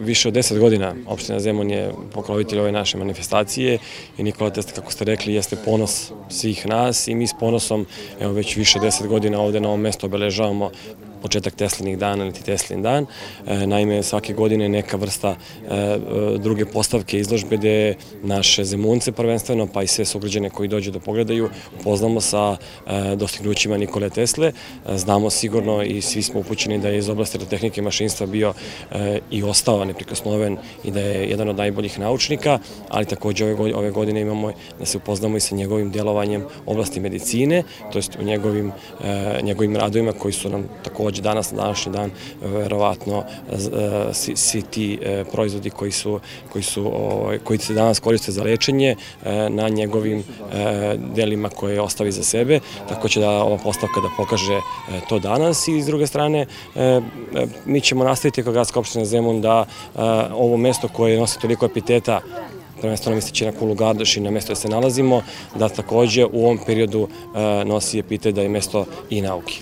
više od 10 godina opština Zemun je pokrovitelj ove naše manifestacije i Nikola Tesla, kako ste rekli, jeste ponos svih nas i mi s ponosom već više 10 godina ovde na ovom mestu obeležavamo početak Teslinih dana ili Teslin dan. Naime, svake godine neka vrsta druge postavke izložbe gde naše Zemunce prvenstveno, pa i sve sugrađane koji dođu da pogledaju, upoznamo sa dostignućima Nikole Tesle. Znamo sigurno i svi smo upućeni da je iz oblasti elektrotehnike i mašinstva bio i ostao neprikosnoven i da je jedan od najboljih naučnika, ali takođe ove godine imamo da se upoznamo i sa njegovim delovanjem u oblasti medicine, to jest u njegovim radovima koji su nam takođe danas, na današnji dan, verovatno svi ti proizvodi koji se danas koriste za lečenje na njegovim delima koje ostavi za sebe, tako će da ova postavka da pokaže to danas i s druge strane mi ćemo nastaviti kao gradska opština Zemun da ovo mesto koje nosi toliko epiteta, prvenstveno misleći na Kulu Gardoš i na mesto gde se nalazimo, da takođe u ovom periodu nosi epitet da je mesto i nauke.